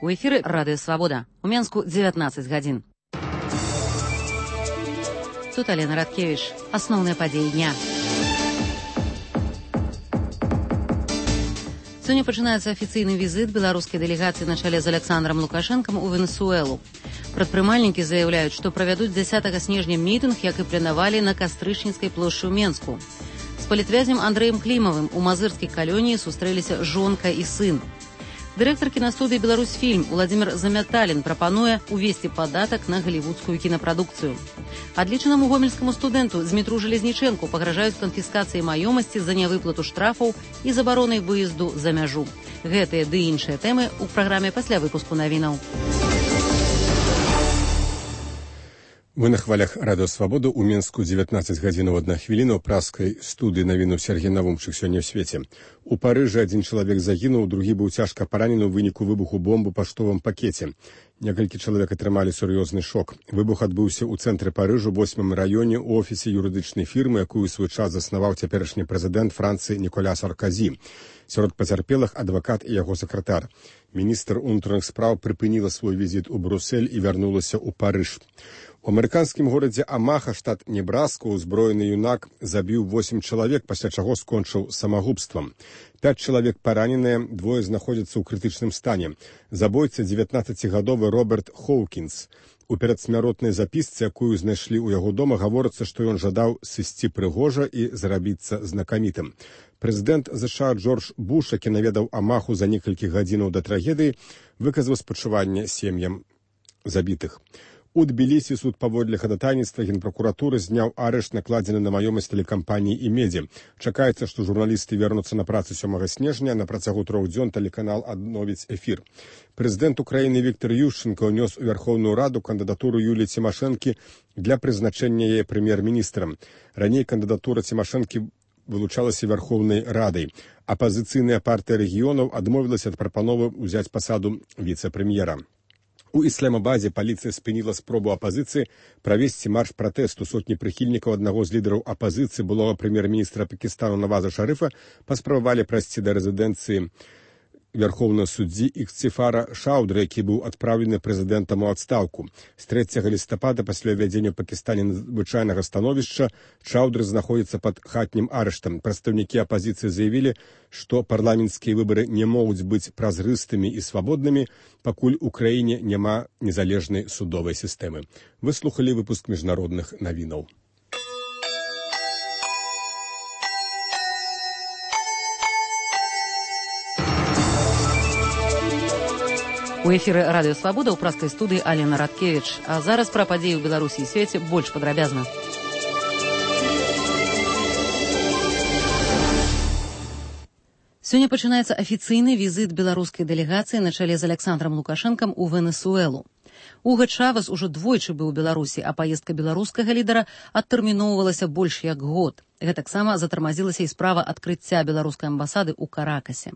У эфіры Радыё Свабода. У Менску 19 гадзін. Тут Алена Радкевич. Асноўныя падзеі дня. Сёння пачынаецца афіцыйны візіт беларускай дэлегацыі на чале з Александром Лукашэнкам у Венесуэлу. Прадпрымальнікі заяўляюць, што правядуць 10 снежня мітынг, як і планавалі на Кастрычніцкай плошчы ў Менску. З палітвязнем Андрэем Клімавым у мазырскай калоніі сустрэліся жонка і сын. Дырэктар кінастудыі «Беларусьфільм» Уладзімір Замяталін прапануе увесці падатак на галівудскую кінапрадукцыю. Адлічанаму гомельскаму студэнту Змітру Жалезнічэнку пагражаюць канфіскацыяй маёмасці за нявыплату штрафаў і забаронай выезду за мяжу. Гэтыя ды іншыя тэмы ў праграме пасля выпуску навінаў. Вы на хвалях Радыё Свабода. У Менску 19 гадзінаў 1 хвіліна. У праскай студыі навіну Сергей Навумчык сёння ў свеце. У Парыжы адзін чалавек загінуў, другі быў цяжка паранены ў выніку выбуху бомбы ў паштовым пакеце. Некалькі чалавек атрымалі сур'ёзны шок. Выбух адбыўся ў цэнтры Парыжу, 8-м раёне, у офісе юрыдычнай фірмы, якую ў свой час заснаваў цяперашні прэзідэнт Францыі Ніколя Сарказі. Сярод пацярпелых адвакат і яго сакратар. Міністр унутраных спраў прыпыніла свой візіт у Брусэль і вярнулася ў Парыж. У амерыканскім горадзе Амаха, штат Небраска, узброены юнак забіў 8 чалавек, пасля чаго скончыў самагубствам. 5 чалавек параненыя, двое знаходзяцца ў крытычным стане. Забойца 19-гадовы Роберт Хоўкінс. У перадсмяротнай запісцы, якую знайшлі ў яго дома, гаворыцца, што ён жадаў сысці прыгожа і зрабіцца знакамітым. Прэзідэнт ЗША Джордж Буш, які наведаў Амаху за некалькі гадзінаў да трагедыі, выказаў спачуванне сем'ям забітых. У Тбілісі суд паводле хадатайніцтва генпракуратуры зняў арышт, накладзены на маёмасць тэлекампаніі «Імедзі». Чакаецца, што журналісты вернуцца на працу 7 снежня, на працягу 3 дзён тэлеканал адновіць эфір. Прэзідэнт Украіны Віктор Ющенко ўнёс у Вярхоўную Раду кандыдатуру Юліі Цімашэнкі для прызначэння яе прэм'ер-міністрам. Раней кандыдатура Цімашэнкі вылучалася Вярхоўнай Радай. Апазіцыйная партыя рэгіёнаў адмовілася ад прапановы ўзяць пасаду віцэ-прэм'ера. У Ісламабадзе паліцыя спыніла спробу апазіцыі правесці марш пратэсту. Сотні прыхільнікаў аднаго з лідараў апазіцыі, былога прэм'ер-міністра Пакістану Наваза Шарыфа, паспрабавалі прайсці да рэзідэнцыі вярхоўнага суддзі Ікцефара Шаўдры, які быў адпраўлены прэзідэнтам у адстаўку. З 3 лістапада пасля ўвядзення ў Пакістане надзвычайнага становішча Шаўдры знаходзіцца пад хатнім арыштам. Прадстаўнікі апазіцыі заявілі, што парламенцкія выбары не могуць быць празрыстымі і свабоднымі, пакуль у краіне няма незалежнай судовай сістэмы. Вы слухалі выпуск міжнародных навінаў. У эфіры Радыё Свабода ў праскай студыі Алена Радкевич. А зараз пра падзеі ў Беларусі і свеце больш падрабязна. Сёння пачынаецца афіцыйны візіт беларускай дэлегацыі на чале з Александром Лукашэнкам у Венесуэлу. Уга Чавес ужо двойчы быў у Беларусі, а паездка беларускага лідара адтэрміноўвалася больш як год. Гэтаксама затармазілася і справа адкрыцця беларускай амбасады ў Каракасе.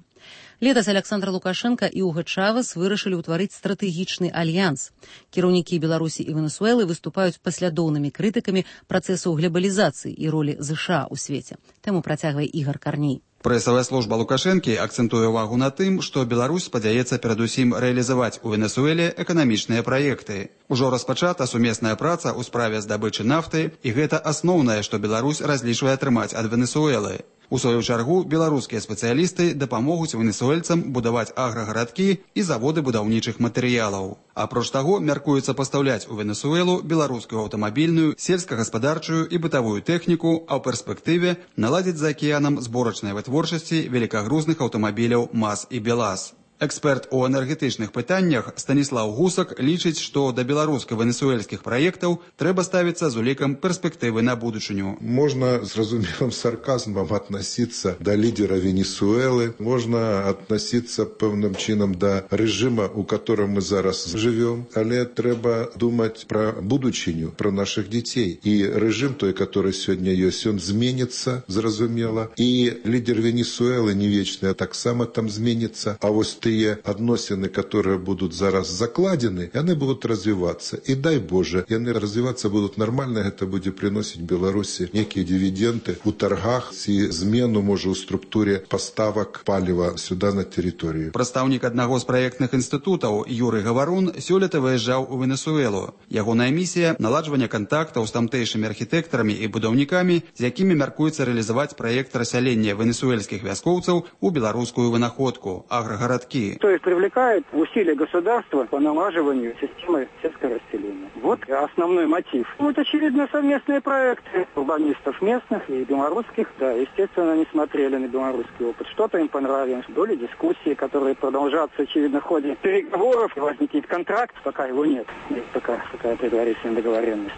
Летась Александр Лукашенко і Уга Чавес вырашылі ўтварыць стратэгічны альянс. Кіраўнікі Беларусі і Венесуэлы выступаюць паслядоўнымі крытыкамі працэсу глобалізацыі і ролі ЗША ў свеце. Тэму працягвае Ігар Карней. Прэсавая служба Лукашэнкі акцэнтуе ўвагу на тым, што Беларусь спадзяецца перадусім рэалізаваць у Венесуэле эканамічныя праекты. Ужо распачата сумесная праца ў справе здабычы нафты, і гэта асноўнае, што Беларусь разлічвае атрымаць ад Венесуэлы. У сваю чаргу беларускія спецыялісты дапамогуць венесуэльцам будаваць аграгарадкі і заводы будаўнічых матэрыялаў. Апроч таго, мяркуецца пастаўляць у Венесуэлу беларускую аўтамабільную, сельскагаспадарчую і бытавую тэхніку, а ў перспектыве наладзіць за акіянам зборачнай вытворчасці великагрузных аўтамабіляў МАЗ і БелАЗ. Эксперт у энергетычных пытаннях Станіслаў Гусак лічыць, што да беларуска-венесуэльскіх праектаў трэба ставіцца з улікам перспектывы на будучыню. Можно зразумелым сарказмом относиться до лидера Венесуэлы, можно относиться пэўным чынам до режима, у котором мы зараз живем, але трэба думать про будучыню, про наших детей. И режим той, который сегодня есть, он зменится, зразумела. И лидер Венесуэлы не вечный, а так само там зменится. А вот тыя адносіны, которые будут зараз закладены, яны будут развиваться. И дай Боже, яны развиваться будут нормально, это будет приносить Беларуси некие дивиденды у торгах и змену, может, в структуре поставок палива сюда на территорию. Прадстаўнік аднаго з праектных інстытутаў Юрый Гаварун сёлета выязджаў у Венесуэлу. Ягоная місія – наладжванне кантактаў з тамтэйшымі архітэктарамі і будаўнікамі, з якімі мяркуецца рэалізаваць праект рассялення венесуэльскіх вяскоўцаў у беларускую вынаходку – аграгарадкі. То есть привлекает усилия государства по налаживанию системы сельского расселения. Вот основной мотив. Вот, очевидно, совместные проекты урбанистов местных и белорусских. Да, естественно, они смотрели на белорусский опыт. Что-то им понравилось. Были дискуссии, которые продолжатся, очевидно, в ходе переговоров. Возникнет контракт, пока его нет. Есть такая предварительная договоренность.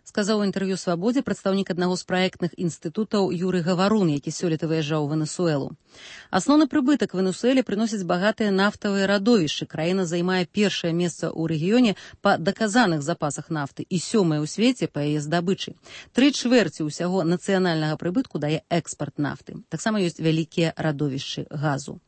Сказаў у інтэрв'ю «Свабодзе» прадстаўнік аднаго з праектных інстытутаў Юрый Гаварун, які сёлета выязджаў у Венесуэлу. Асноўны прыбытак Венесуэле прыносяць багатыя нафтавыя радовішчы. Краіна займае першае месца ў рэгіёне па даказаных запасах нафты і 7-е ў свеце па яе здабычы. 3/4 ўсяго нацыянальнага прыбытку дае экспарт нафты. Таксама ёсць вялікія радовішчы газу.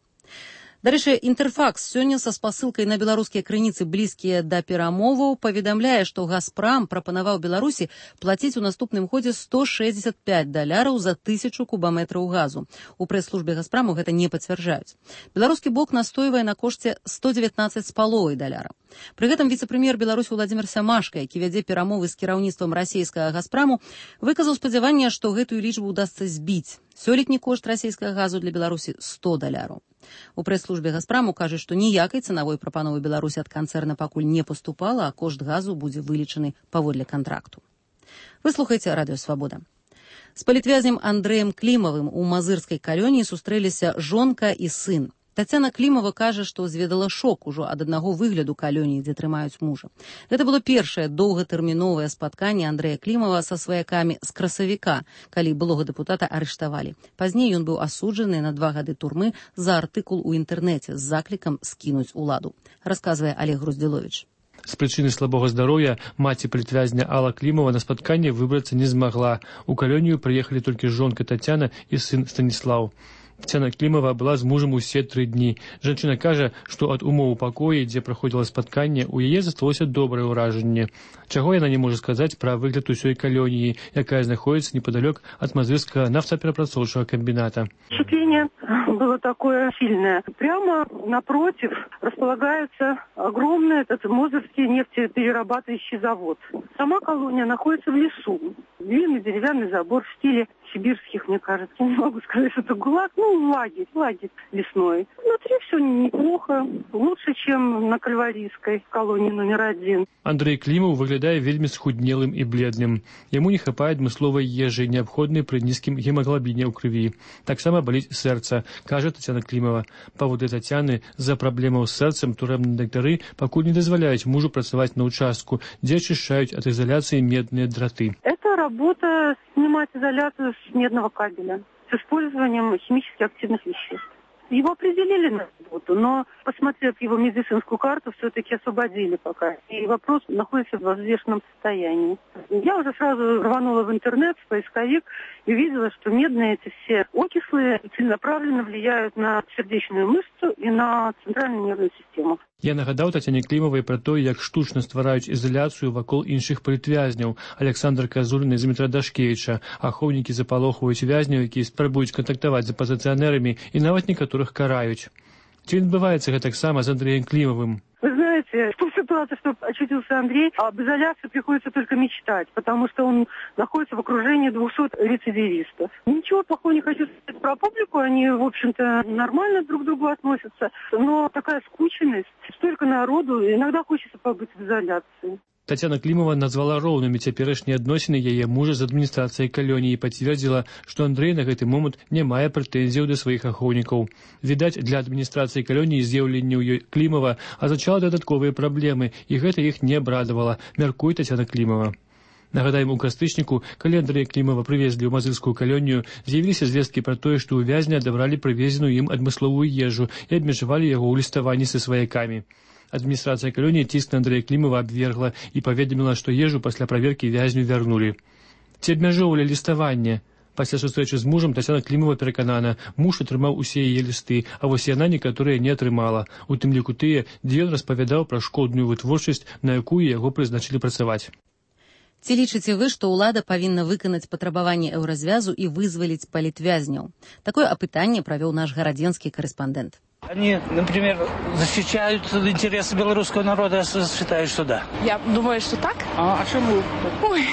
Дарэчы, Інтэрфакс сёння са спасылкай на беларускія крыніцы, блізкія да перамоваў, паведамляе, што «Газпрам» прапанаваў Беларусі плаціць у наступным годзе $165 за 1000 кубаметраў газу. У прэс-службе «Газпраму» гэта не пацвярджаюць. Беларускі бок настойвае на кошце $119,5. Пры гэтым віцэ-прэм'ер Беларусі Владзімір Сямашка, які вядзе перамовы з кіраўніцтвам расійскага «Газпраму», выказаў спадзяванне, што гэтую лічбу удасца збіць. Сёлетні кошт расійскага газу для Беларусі $100. У прэс-службе «Газпраму» кажуць, што ніякай цанавой прапановы Беларусі ад канцэрна пакуль не паступала, а кошт газу будзе вылічаны паводле кантракту. Вы слухаеце радыё «Свабода». З палітвязнем Андрэем Клімавым у мазырскай калоніі сустрэліся жонка і сын. Тацяна Клімава кажа, што зведала шок ужо ад аднаго выгляду калоніі, дзе трымаюць мужа. Гэта было першае доўгатэрміновае спатканне Андрэя Клімава са сваякамі з красавіка, калі былога дэпутата арыштавалі. Пазней ён быў асуджаны на 2 гады турмы за артыкул у інтэрнэце з заклікам скінуць уладу. Расказвае Олег Груздзіловіч. З прычыны слабога здароўя маці палітвязня Алла Клімова на спатканне выбрацца не змагла. У калонію прыехалі толькі жонка Тацяна і сын Станіслаў. Тацяна Клімава была з мужам усе 3 дні. Жанчына кажа, што ад умоў у пакоі, дзе праходзіла спатканне, у яе засталося добрае ўражанне. Чаго яна не можа сказаць пра выгляд усёй калоніі, якая знаходзіцца непадалёк ад мазырскага нафтаперапрацоўчага комбината. Впечатление было такое сильное. Прямо напротив располагается огромный этот мозырский нефтеперерабатывающий завод. Сама колония находится в лесу. Длинный деревянный забор в стиле сибирских, мне кажется. Не могу сказать, что это ГУЛАГ, лагерь лесной. Внутри все неплохо, лучше, чем на Кальварийской колонии номер 1. Андрей Клімаў выглядае вельмі схуднелым і бледным. Яму не хапае адмысловай ежы, неабходнай пры нізкім гемаглабіне ў крыві. Таксама баліць сэрца, кажа Тацяна Клімава. Паводле Тацяны, з-за праблемаў з сэрцам турэмныя дактары пакуль не дазваляюць мужу працаваць на участку, дзе ачышчаюць ад изоляцыі медныя драты. Это работа снимать изоляцию с медного кабеля с использованием химически активных веществ. Его определили на работу, но, посмотрев его медицинскую карту, все-таки освободили пока. И вопрос находится в взвешенном состоянии. Я уже сразу рванула в интернет, в поисковик, и увидела, что медные эти все окислы целенаправленно влияют на сердечную мышцу и на центральную нервную систему. Я нагадаў Тацяне Клімавай пра тое, як штучна ствараюць ізаляцыю вакол іншых палітвязняў. Александр Казулін і Змітра Дашкевіча. Ахоўнікі запалохваюць вязняў, якія спрабуюць кантактаваць з апазіцыянерамі, і нават некаторых караюць. Ці адбываецца гэтаксама з Андреем Клімавым? Вы знаете, в той ситуации, что очутился Андрей, об изоляции приходится только мечтать, потому что он находится в окружении 200 рецидивистов. Ничего плохого не хочу сказать про публику, они, в общем-то, нормально друг к другу относятся, но такая скученность, столько народу, иногда хочется побыть в изоляции. Тацяна Клімава назвала роўнымі цяперашнія адносіны яе мужа з адміністрацыяй калоніі і пацвердзіла, што Андрэй на гэты момант не мае прэтэнзіяў да сваіх ахоўнікаў. Відаць, для адміністрацыі калоніі з'яўленне ў ёй Клімава азначала дадатковыя праблемы, і гэта іх не абрадавала, мяркуе Тацяна Клімава. Нагадаем, у кастрычніку, калі Андрэя Клімава прывезлі ў мазырскую калонію, з'явіліся звесткі пра тое, што ў вязня адабралі прывезеную ім адмысловую ежу і абмежавалі яго ў ліставанні са сваякамі. Адміністрацыя калоніі ціск на Андрэя Клімава абвергла і паведаміла, што ежу пасля праверкі вязню вярнулі. Ці абмяжоўвалі ліставанне? Пасля сустрэчы з мужам Тацяна Клімова пераканана, муж атрымаў усе яе лісты, а вось яна некаторыя не атрымала. У тым ліку тыя, дзе ён распавядаў пра шкодную вытворчасць, на якую яго прызначылі працаваць. Ці лічыце вы, што ўлада павінна выканаць патрабаванні еўразвязу і вызваліць палітвязняў? Такое апытанне правёў наш гарадзенскі корэспондэнт. Они, например, защищают интересы белорусского народа, я считаю, что да. Я думаю, что так. А чему? Ой,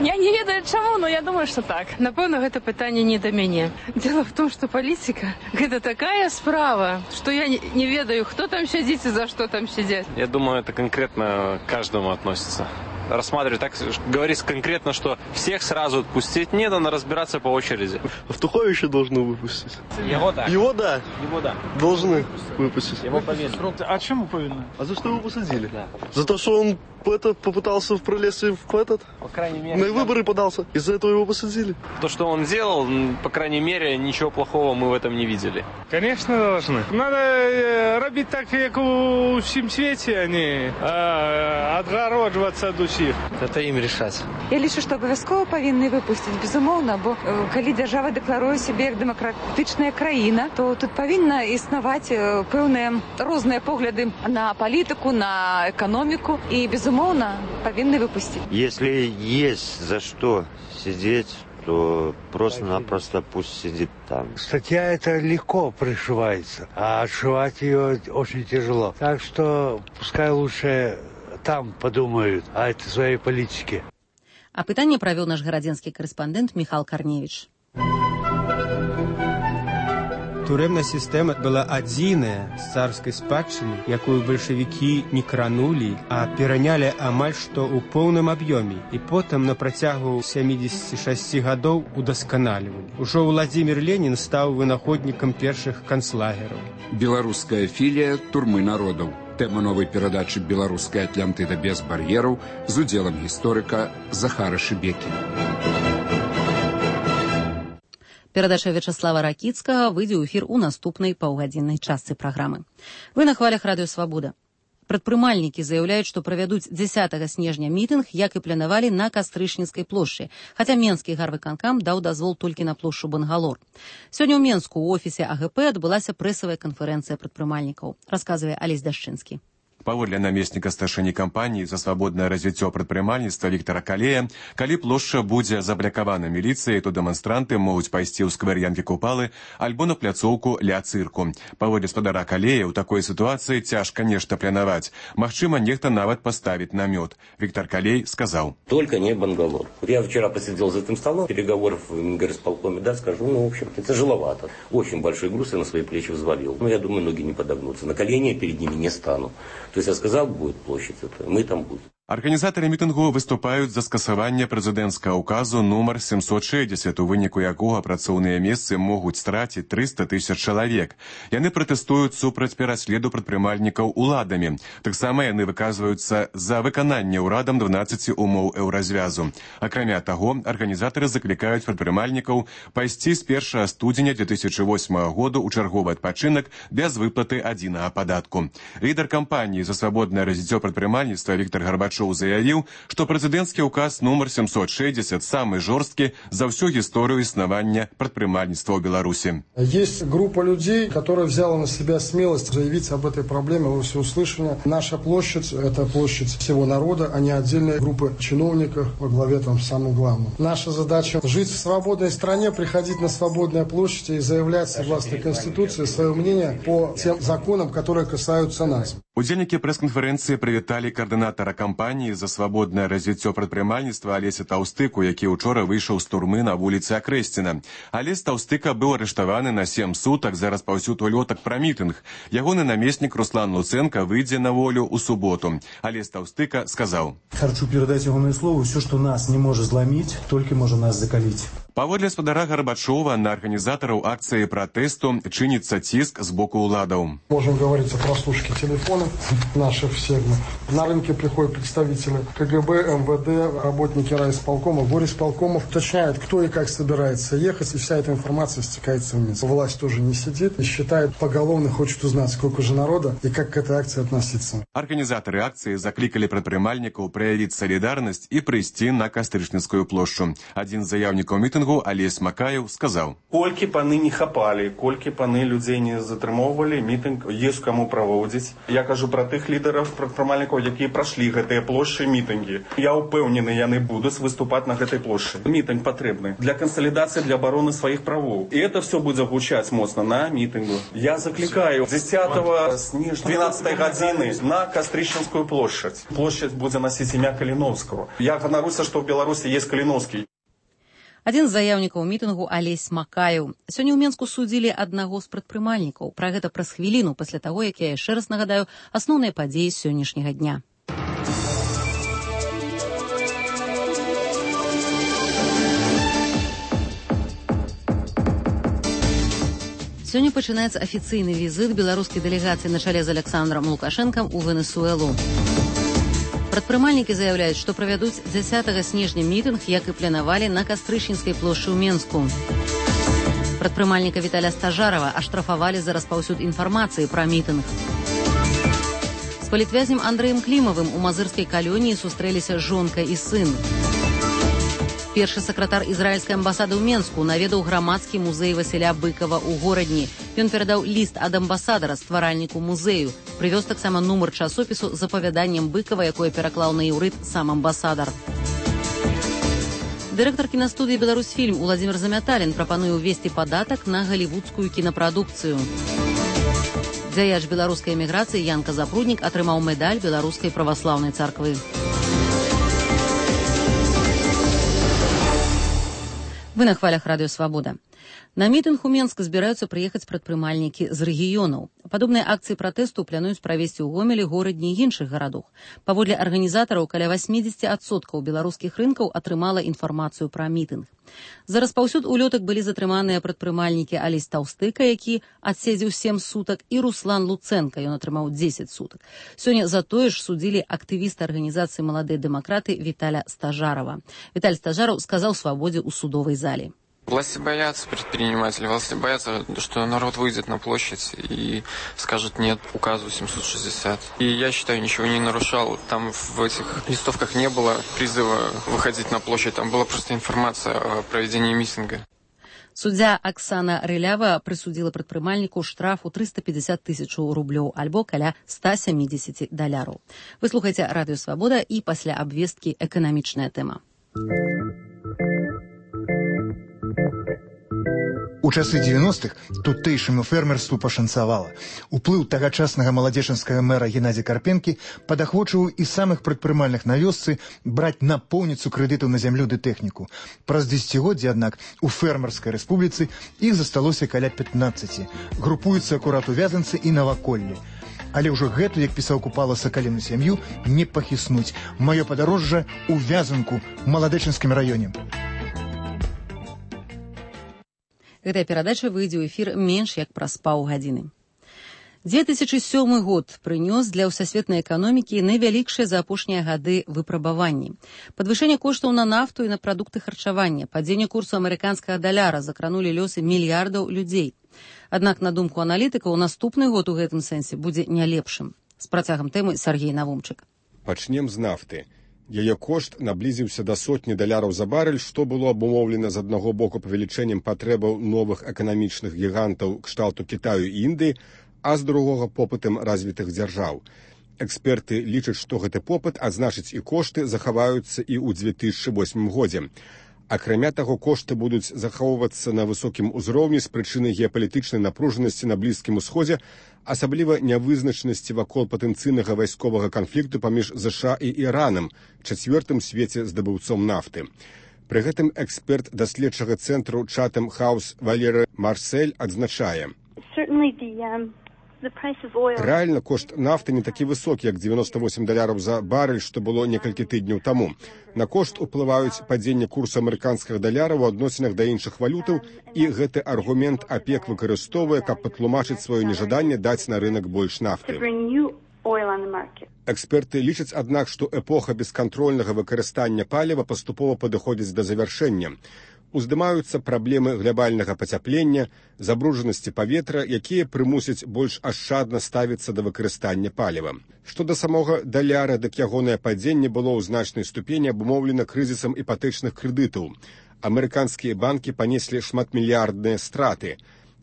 я не ведаю чему, но я думаю, что так. Напэўна, гэта пытанне не да мяне. Дело в том, что политика – это такая справа, что я не ведаю, кто там сидит и за что там сидят. Я думаю, это конкретно к каждому относится. Рассматривать так, говорится конкретно, что всех сразу отпустить не надо, разбираться по очереди. Автуховича должны выпустить. Его да. Его да. Его да. Должны выпустить. Его повинны. А чему повинны? А за что его посадили? Да. За то, что он попытался пролезть в этот? По крайней мере. На выборы подался. Из-за этого его посадили. То, что он делал, по крайней мере, ничего плохого мы в этом не видели. Конечно, должны. Надо робить так, как у всем свете, а не отгородживаться от усіх. Это им решать. Я лічу, што абавязкова павінны выпусціць, безумоўна, бо калі дзяржава дэкларуе сябе як дэмакратычная краіна, то тут павінна існаваць пэўныя розныя погляды на палітыку, на эканоміку і, безумоўна, павінны выпусціць. Если есть за что сидеть, то просто-напросто пусть сидит там. Статья эта легко пришивается, а отшивать ее очень тяжело. Так что пускай лучше там подумают о этой своей политике. Апытанне правёў наш гарадзенскі корэспондэнт Михал Карневіч. Турэмная сістэма была адзіная з царскай спадчыны, якую бальшавікі не кранулі, а перанялі амаль што ў поўным аб'ёме і потым на працягу 76 гадоў удасканалівалі. Ужо Владзімір Ленін стаў вынаходнікам першых канцлагераў. Беларуская філія турмы народаў. Тэма новай перадачы «Беларуская Атлантыда без бар'ераў» з удзелам гісторыка Захара Шыбекі. Перадача Вячаслава Ракіцкага выйдзе ў эфір у наступнай паўгадзіннай частцы праграмы. Вы на хвалях радыё «Свабода». Прадпрымальнікі заяўляюць, што правядуць 10 снежня мітынг, як і планавалі на Кастрычніцкай плошчы, хаця Менскі гарвыканкам даў дазвол толькі на плошчу Бангалор. Сёння ў Менску ў офісе АГП адбылася прэсавая канферэнцыя прадпрымальнікаў, расказвае Алесь Дашчынскі. Паводле намесніка старшыні кампаніі за свабоднае развіццё прадпрымальніцтва Віктара Калея, калі плошча будзе заблакавана міліцыяй, то дэманстранты могуць пайсці ў сквер Янкі Купалы альбо на пляцоўку ля цырку. Паводле спадара Калея, ў такой сітуацыі цяжка нешта планаваць. Магчыма, нехта нават паставіць намёт. Віктор Калей сказаў: «Только не Бангалор. Вот я вчера посидел за этим столом, переговоров в горисполкоме, да, скажу, в общем-то, тяжеловато. Очень большой груз я на свои плечи взвалил. Я думаю, ноги не подогнутся. На колени я перед ними не стану. То есть я сказал, будет площадь, это мы там будем». Арганізатары мітынгу выступаюць за скасаванне прэзідэнцкага ўказу нумар 760, у выніку якога працоўныя месцы могуць страціць 300 000 чалавек. Яны пратэстуюць супраць пераследу прадпрымальнікаў уладамі. Таксама яны выказваюцца за выкананне ўрадам 12 умоў еўразвязу. Акрамя таго, арганізатары заклікаюць прадпрымальнікаў пайсці з 1 студзеня 2008 году ў чарговы адпачынак без выплаты адзінага падатку. Лідар кампаніі за свабоднае развіццё прадпрымальніцтва Віктор Гарбачоў заявіў, што прэзідэнцкі ўказ нумар 760 самы жорсткі за всю историю існавання прадпрымальніцтва ў Беларуси. Есть группа людей, которая взяла на себя смелость заявить об этой проблеме во всеуслышание. Наша площадь – это площадь всего народа, а не отдельные группы чиновников во главе там самым главным. Наша задача – жить в свободной стране, приходить на свободные площади и заявлять согласно Конституции свое мнение по тем законам, которые касаются нас. Удзельнікі прэс-канферэнцыі прывіталі каардынатара кампаніі за свабоднае развіццё прадпрымальніцтва Алеся Таўстыку, які ўчора выйшаў з турмы на вуліцы Акрэсціна. Алесь Таўстыка быў арыштаваны на 7 сутак за распаўсюд улётак пра мітынг. Ягоны намеснік Руслан Луценко выйдзе на волю ў суботу. Алесь Таўстыка сказаў: «Хочу передать ягонае слово, все, что нас не может зламіць, только может нас закаліць». Паводле спадара Гарбачова, на арганізатараў акцыі пратэсту чыніцца ціск з боку ўладаў. Можем говорить о прослушке телефона, наших всех. На рынке приходят представители КГБ, МВД, работники райисполкомов, горисполкомов, уточняют, кто и как собирается ехать, и вся эта информация стекается в Минск. Власть тоже не сидит и считает поголовно, хочет узнать, сколько же народа и как к этой акции относиться. Организаторы акции закликали предпринимальников проявить солидарность и прийти на Кастрычніцкую площу. Один из заявников митингу, Олесь Макаев, сказал: «Кольки паны не хапали, кольки паны людей не затрымоўвалі, мітинг есть кому проводить. Я кажу про тых лидеров предпринимальников, які прошли гэтыя площади митинги. Я упэўнены, яны будут выступать на этой площади. Митинг потребный для консолидации, для обороны своих правов. И это все будет гучать мощно на митингу. Я закликаю 10 снежня 12 годины на Кастрычніцкую площадь. Площадь будет носить имя Калиновского. Я ганаруся, что в Беларуси есть Калиновский. Адзін з заяўнікаў мітынгу Алесь Макаев. Сёння ў Менску судзілі аднаго з прадпрымальнікаў. Пра гэта праз хвіліну пасля таго, як я яшчэ раз нагадаю асноўныя падзеі сённяшняга дня. Сёння пачынаецца афіцыйны візіт беларускай дэлегацыі на чале з Александром Лукашэнкам у Венесуэлу. Прадпрымальнікі заяўляюць, што правядуць 10 снежня мітынг, як і планавалі на Кастрычніцкай плошчы ў Менску. Прадпрымальніка Віталя Стажарова аштрафавалі за распаўсюд інфармацыі пра мітынг. З палітвязнем Андрэем Клімавым у мазырскай калоніі сустрэліся жонка і сын. Першы сакратар ізраільскай амбасады ў Менску наведаў грамадскі музей Васіля Быкова ў горадні. Ён перадаў ліст ад амбасадара стваральніку музею. Прывёз таксама нумар часопісу з апавяданнем Быкова, якое пераклаў на іўрыт сам амбасадар. Дырэктар кінастудыі «Беларусьфільм» Уладзімір Замяталін прапануе ўвесці падатак на галівудскую кінапрадукцыю. Дзяяч беларускай эміграцыі Янка Запруднік атрымаў медаль Беларускай праваслаўнай царквы. Вы на хвалях радыё «Свабода». На мітынг у Менск збіраюцца прыехаць прадпрымальнікі з рэгіёнаў. Падобныя акцыі пратэсту плануюць правесці ў Гомелі, горадні і іншых гарадах. Паводле арганізатараў, каля 80% беларускіх рынкаў атрымала інфармацыю пра мітынг. За распаўсюд улётак былі затрыманыя прадпрымальнікі Алесь Таўстыка, які адседзеў 7 сутак, і Руслан Луцэнка, ён атрымаў 10 сутак. Сёння за тое ж судзілі актывіста арганізацыі «Маладыя дэмакраты» Віталя Стажарова. Віталь Стажаров сказаў «Свабодзе» ў судовай зале. Власти боятся предпринимателей, власти боятся, что народ выйдет на площадь и скажет нет указу 760. И я считаю, ничего не нарушал. Там в этих листовках не было призыва выходить на площадь, там была просто информация о проведении митинга. Суддзя Аксана Рылява прысудзіла прадпрымальніку штрафу 350 тысяч рублёў альбо каля $170. Вы слухаеце радыё «Свабода» і пасля абвесткі эканамічная тэма. У часы 90-х тутэйшаму фермерству пашанцавала. Уплыў тагачаснага маладзечанскага мэра Геннадзя Карпенкі падахвочыў і самых прадпрымальных на вёсцы браць напоўніцу крэдытаў на зямлю ды тэхніку. Праз дзесяцігоддзі, аднак, у фермерскай рэспубліцы іх засталося каля 15. Групуюцца акурат у Вязанцы і наваколлі. Але ўжо гэту, як пісаў Купала, сакаліну сям'ю не пахіснуць. Маё падарожжа ў Вязанку, маладэчанскім раёне. Гэтая перадача выйдзе ў эфір менш як праз паўгадзіны. 2007 год прынёс для ўсасветнай эканомікі найвялікшыя за апошнія гады выпрабаванні. Падвышэнне коштаў на нафту і на прадукты харчавання, падзенне курсу амерыканскага даляра закранулі лёсы мільярдаў людзей. Аднак, на думку аналітыкаў, наступны год у гэтым сэнсе будзе не лепшым. З працягам тэмы Сергей Навумчык. Пачнем з нафты. Яе кошт наблізіўся да $100 за барель, што было абумоўлена з аднаго боку павелічэннем патрэбаў новых эканамічных гігантаў кшталту Кітаю і Індыі, а з другога попытам развітых дзяржаў. Эксперты лічаць, што гэты попыт, а значыць і кошты, захаваюцца і ў 2008 годзе. Акрамя таго, кошты будуць захоўвацца на высокім узроўні з прычыны геапалітычнай напружанасці на Блізкім Усходзе, асабліва нявызначанасці вакол патэнцыйнага вайсковага канфлікту паміж ЗША і Іранам, чацвёртым свеце здабыўцом нафты. Пры гэтым эксперт даследчага цэнтру Chatham House Валеры Марсель адзначае: рэальна кошт нафты не такі высокі, як $98 за барель, што было некалькі тыдняў таму. На кошт уплываюць падзенне курсу амерыканскага даляра ў адносінах да іншых валютаў, і гэты аргумент АПЕК выкарыстоўвае, каб патлумачыць сваё нежаданне даць на рынак больш нафты. знакі. Эксперты лічаць, аднак, што эпоха бескантрольнага выкарыстання паліва паступова падыходзіць да завяршэння. Уздымаюцца праблемы глобальнага пацяплення, забруджанасці паветра, якія прымусяць больш ашчадна ставіцца да выкарыстання паліва. Што да самога даляра, дык ягонае падзенне было ў значнай ступені абумоўлена крызісам іпатэчных крэдытаў. Амерыканскія банкі панеслі шматмільярдныя страты.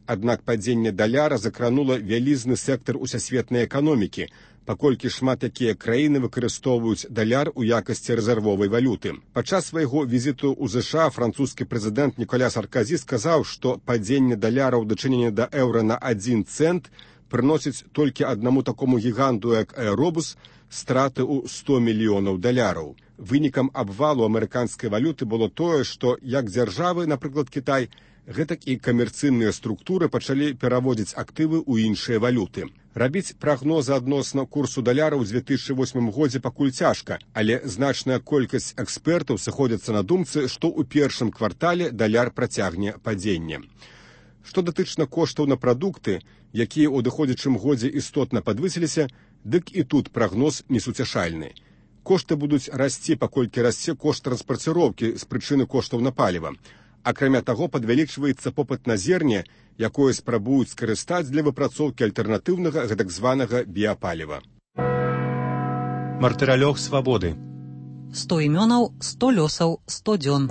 Аднак падзенне даляра закранула вялізны сектар усесветнай эканомікі, паколькі шмат якія краіны выкарыстоўваюць даляр у якасці рэзервовай валюты. Падчас свайго візіту ў ЗША французскі прэзідэнт Ніколя Сарказі сказаў, што падзенне даляра ў дачыненні да еўра на 1 цэнт прыносіць толькі аднаму такому гіганту, як Аэробус, страты ў 100 мільёнаў даляраў. Вынікам абвалу амерыканскай валюты было тое, што як дзяржавы, напрыклад, Кітай, гэтак і камерцыйныя структуры пачалі пераводзіць актывы ў іншыя валюты. Рабіць прагнозы адносна курсу даляра ў 2008 годзе пакуль цяжка, але значная колькасць экспертаў сыходзяцца на думцы, што ў першым квартале даляр працягне падзенне. Што датычна коштаў на прадукты, якія ў адыходзячым годзе істотна падвысіліся, дык і тут прагноз несуцяшальны. Кошты будуць расці, паколькі расце кошт транспарціроўкі з прычыны коштаў на паліва. Акрамя таго, падвялічваецца попыт на зерне, якое спрабуюць скарыстаць для выпрацоўкі альтэрнатыўнага гэтак званага біапаліва. Мартыралёг свабоды. 100 імёнаў, 100 лёсаў, 100 дзён.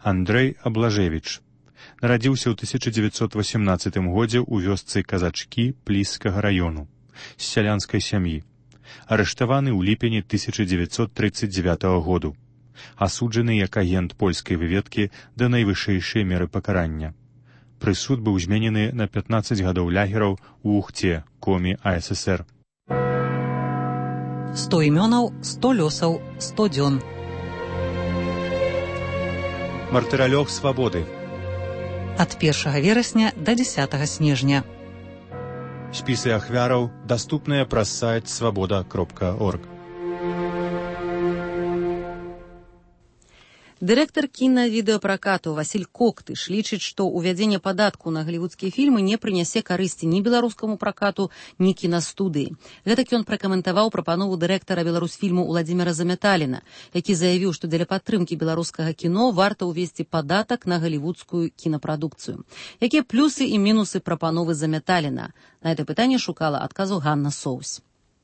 Андрэй Аблажевіч. Нарадзіўся ў 1918 годзе ў вёсцы Казачкі Плісскага раёну, з сялянскай сям'і. Арыштаваны ў ліпені 1939 году. Асуджаны як агент польскай выведкі да найвышэйшай меры пакарання. Прысуд быў зменены на 15 гадоў лягераў у Ухце, Комі АССР. 100 імёнаў, 100 лёсаў, 100 дзён. Мартыралёг свабоды. Ад 1 верасня да 10 снежня. Спісы ахвяраў даступныя праз сайт свабода.орг. Дырэктар кіна-відэапракату Васіль Коктыш лічыць, што ўвядзенне падатку на галівудскія фільмы не прынясе карысці ні беларускаму пракату, ні кінастудыі. Гэтак ён пракаментаваў прапанову дырэктара Беларусфільму Уладзіміра Заметаліна, які заявіў, што для падтрымкі беларускага кіно варта ўвесці падатак на галівудскую кінапрадукцыю. Якія плюсы і мінусы прапановы Заметаліна? На гэта пытанне шукала адказу Ганна Соўсь.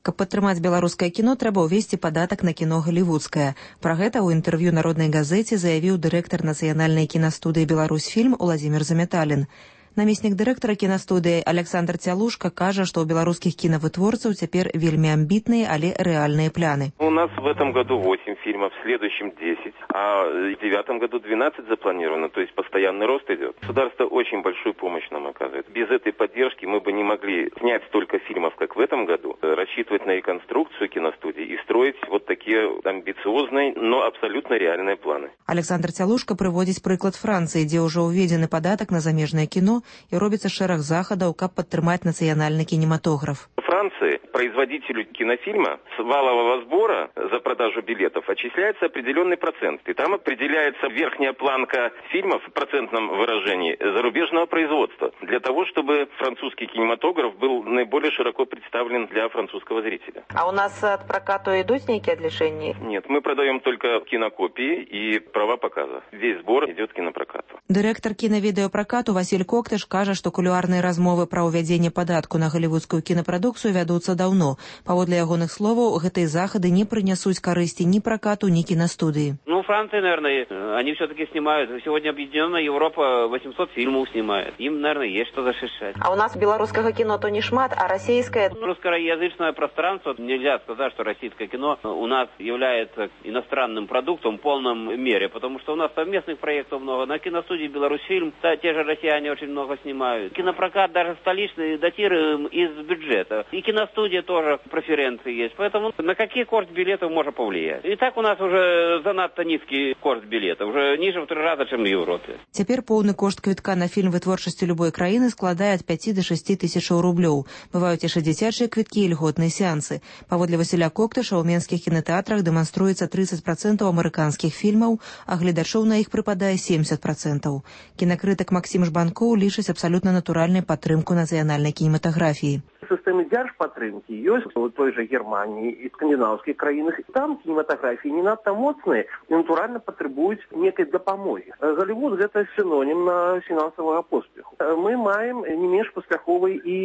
Каб падтрымаць беларускае кіно, трэба ўвесці падатак на кіно галівудскае. Пра гэта ў інтэрв'ю народнай газеце заявіў дырэктар нацыянальнай кінастудыі «Беларусьфільм» Уладзімір Заметалін. Намеснік дырэктара кінастудыі Александр Цялушка кажа, што ў беларускіх кінавытворцаў цяпер вельмі амбітныя, але рэальныя пляны. У нас в этом году 8 фильмов, в следующем 10, а в 2009 году 12 запланировано, то есть постоянный рост идет. Государство очень большую помощь нам оказывает. Без этой поддержки мы бы не могли снять столько фильмов, как в этом году, рассчитывать на реконструкцию киностудий и строить вот такие амбициозные, но абсолютно реальные планы. Александр Цялушка прыводзіць прыклад Францыі, дзе ўжо ўведзены падатак на замежнае кіно, и робится шэраг захадаў, каб падтрымаць нацыянальны кинематограф. В Франции производителю кинофильма с валового сбора за продажу билетов отчисляется определенный процент. И там определяется верхняя планка фильмов в процентном выражении зарубежного производства. Для того, чтобы французский кинематограф был наиболее широко представлен для французского зрителя. А у нас от прокату идут некие отличения? Нет, мы продаем только кинокопии и права показа. Весь сбор идет кинопрокату. Директор киновидеопрокату Василь Коктыш кажа, што кулуарныя размовы пра ўвядзенне падатку на галівудскую кінапрадукцыю вядуцца даўно. Паводле ягоных словаў, гэтыя захады не прынясуць карысці ні пракату, ні кінастудыі. Франция, наверное, они все-таки снимают. Сегодня Объединенная Европа 800 фильмов снимает. Им, наверное, есть что защищать. А у нас белорусского кино то не шмат, а российское... Русскоязычное пространство, нельзя сказать, что российское кино у нас является иностранным продуктом в полном мере, потому что у нас совместных проектов много. На киностудии «Беларусьфильм» те же россияне очень много снимают. Кинопрокат даже столичный датируем из бюджета. И киностудия тоже преференции есть. Поэтому на какие курс билетов можно повлиять? И так у нас уже занадто низкий курс билета, уже ниже в 3 раза, чем в Европе. Цяпер поўны кошт квітка на фільм вытворчасці любой краіны складае ад 5 до 6 тысяч рублёў. Бываюць яшчэ дзіцячыя квіткі і льготныя сеансы. Паводле Васіля Коктыша, ў менскіх кінотэатрах дэманструецца 30% амерыканскіх фільмаў, а гледачоў на іх прыпадае 70%. Кінакрытык Максім Жбанкоў лічыць абсалютна натуральнай падтрымку нацыянальнай кінематаграфіі. сістэмы дзяржпатрымкі ёсць у той жа Германії і скандинаўскіх краінах. Там кінематаграфіі не надта моцныя і натуральна патрабуюць некай дапамогі. Голливуд гэта синонім на фінансавага поспеху. Мы маем не менш паспяховыя і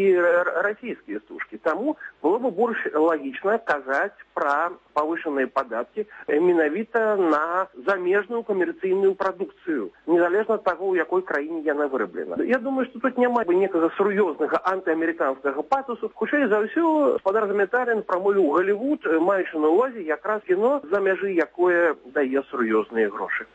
расійскія стужкі. Таму было бы больш лагічна казаць пра павышаныя падаткі менавіта на замежную камерцыйную прадукцыю, незалежна ад таго, у якой краіне яна выраблена. Я думаю, што тут няма некага сур'ёзнага антыамерыканскага патосу. Хутчэй за ўсё, гаспадар Заметалін прамовіў Голливуд, маючы на ўвазе якраз кіно за мяжы, якое дае сур'ёзныя грошы.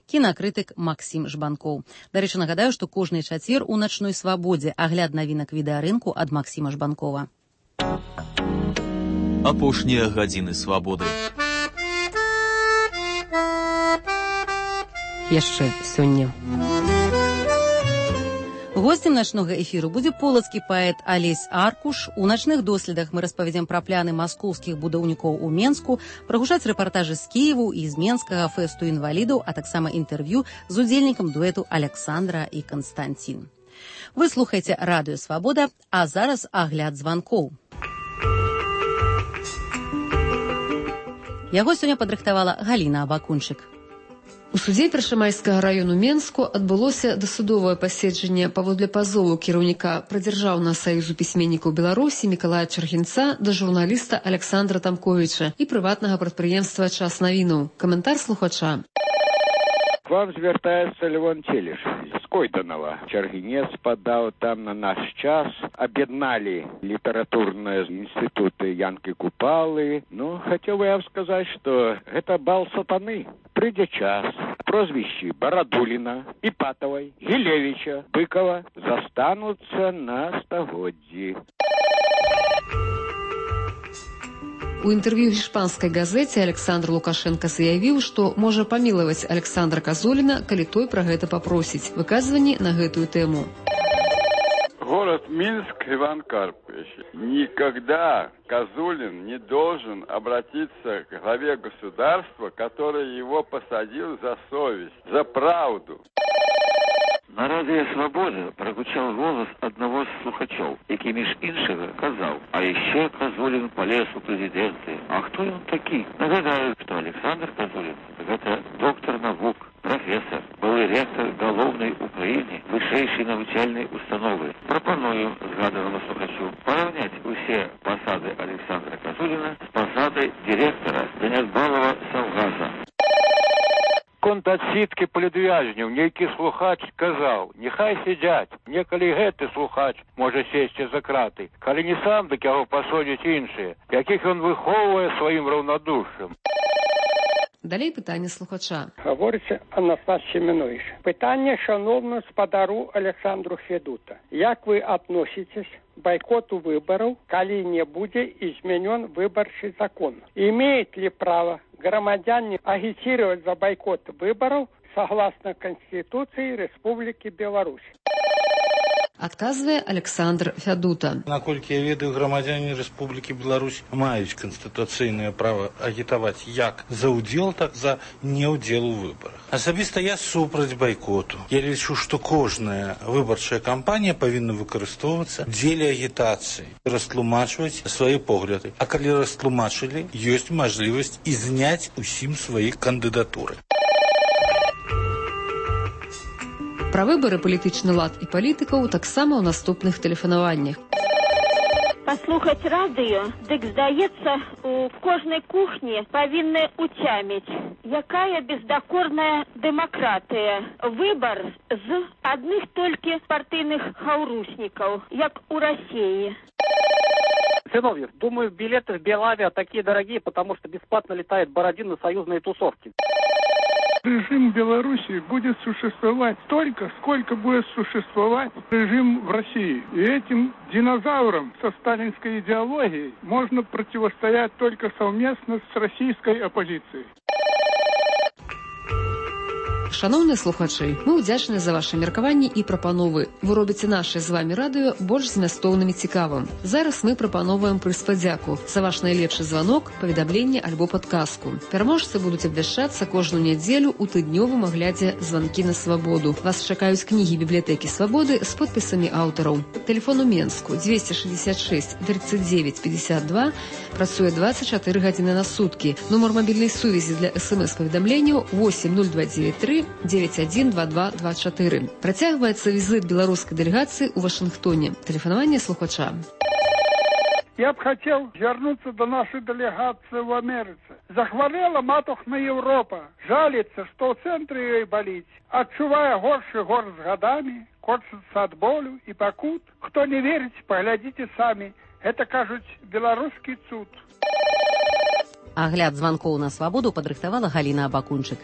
Кінакрытык Максім Жбанкоў. Дарэчы, нагадаю, што кожны чацвер у начной свабодзе агляд навінак відэарынку ад Максіма Жбанкова. Апошнія гадзіны свабоды. Яшчэ сёння. Гостем начнога эфіру будзе полацкі паэт Алесь Аркуш. У начных доследах мы распавядзем пра пляны маскоўскіх будаўнікоў у Менску, прагучаць рэпартажы з Кіеву і з Менскага фэсту інвалідаў, а таксама інтэрв'ю з удзельнікам дуэту Аляксандра і Канстанцін. Вы слухаеце Радыё Свабода, а зараз агляд званкоў. Яго сёння падрыхтавала Галіна Абакунчык. У судзе Першамайскага раёну Менску адбылося дасудовае паседжанне паводле пазову кіраўніка Прадзяржаўнага саюзу пісьменнікаў Беларусі Мікалая Чаргінца да журналіста Аляксандра Тамковіча і прыватнага прадпрыемства «Час навінаў». Каментар слухача. К вам звяртаецца Левон Целіш з Койданова. Чаргінец падаў там на наш час, аб'ядналі літаратурныя інстытуты Янкі Купалы. Хацеў бы я сказаць, што гэта бал сатаны. Прыйдзе час, прозвішчы Барадуліна, Іпатавай, Гілевіча, Быкова застануцца на стагоддзі. У інтэрв'ю іспанскай газеце Александр Лукашенко заявіў, што можа памілаваць Александра Казуліна, калі той пра гэта папросіць. Выказванні на гэтую тэму. Город Минск, Иван Карпович. Никогда Козулин не должен обратиться к главе государства, который его посадил за совесть, за правду. На Радыё Свабода прагучаў голас аднаго з слухачоў, які між іншага казаў: а яшчэ Казулін палез у прэзідэнты. А хто ён такі? Нагадаю, што Александр Казулін – гэта доктар навук, профессор, былы ректор галоўнай у краіне вышэйшай навучальнай установы. Прапаную згаданаму слухачу параўняць усе пасады Александра Казуліна з пасадай дырэктара Занядбалава Саўгаса. Конт адсідкі палітвязняў нейкі слухач казаў: няхай сядзяць, некалі гэты слухач можа сесці за краты, калі не сам, дык яго пасадзяць іншыя, якіх ён выхоўвае сваім раўнадушшем. Далей пытанне слухача. Гаворыцца Анастас Семенович. Пытанне шановному спадару Александру Федута. Як вы относитесь к бойкоту выборов, коли не будет изменен выборчий закон? Имеет ли право громадяне агитировать за бойкот выборов согласно Конституции Республики Беларусь? Адказвае Александр Фядута. Наколькі я ведаю, грамадзяне Рэспублікі Беларусь маюць канстытуцыйнае права агітаваць як за ўдзел, так за неўдзел у выбарах. Асабіста я супраць байкоту. Я лічу, што кожная выбарчая кампанія павінна выкарыстоўвацца дзеля агітацыі, растлумачваць свае погляды. А калі растлумачылі, ёсць мажлівасць і зняць усім свае кандыдатуры. Пра выбары, палітычны лад і палітыкаў таксама ў наступных тэлефанаваннях. Паслухаць радыё, дык здаецца, у кожнай кухні павінны уцяміць, якая бездакорная дэмакратыя. Выбар з адных толькі партыйных хаўруснікаў, як у России. Зиновьев, думаю, билеты в Белавиа такие дорогие, потому что бесплатно летает Бородин на союзные тусовки. Режим Беларуси будет существовать столько, сколько будет существовать режим в России. И этим динозаврам со сталинской идеологией можно противостоять только совместно с российской оппозицией. Шановныя слухачы, мы ўдзячныя за ваши меркаванні і прапановы. Вы робіце наше з вами радыё больш змястоўным і цікавым. Зараз мы прапановваем прыз падзяку за ваш найлепшы званок, паведамленне альбо падказку. Пераможцы будуць абвяшчацца кожную нядзелю ў тыднёвым аглядзе «Званкі на свабоду». Вас чакаюць кнігі бібліятэкі свабоды з подпісамі аўтараў. Тэлефон у Менску 266 39 52, працуе 24 гадзіны на суткі. Нумар мабільнай сувязі для СМС-паведамленняў 80293 912224. Працягваецца візит беларускай дэлегацыі ў Вашынгтоне. Тэлефанаванне слухача. Я б хотел вернуться до нашей делегации в Америке. Захворела матушна Европа. Жалится, что в центре ее болит. Отчувая горше гор с годами, корчится от болю и покут. Кто не верит, поглядите сами. Это, кажуть, белорусский цуд. Агляд званкоў на свабоду падрыхтавала Галіна Абакунчык.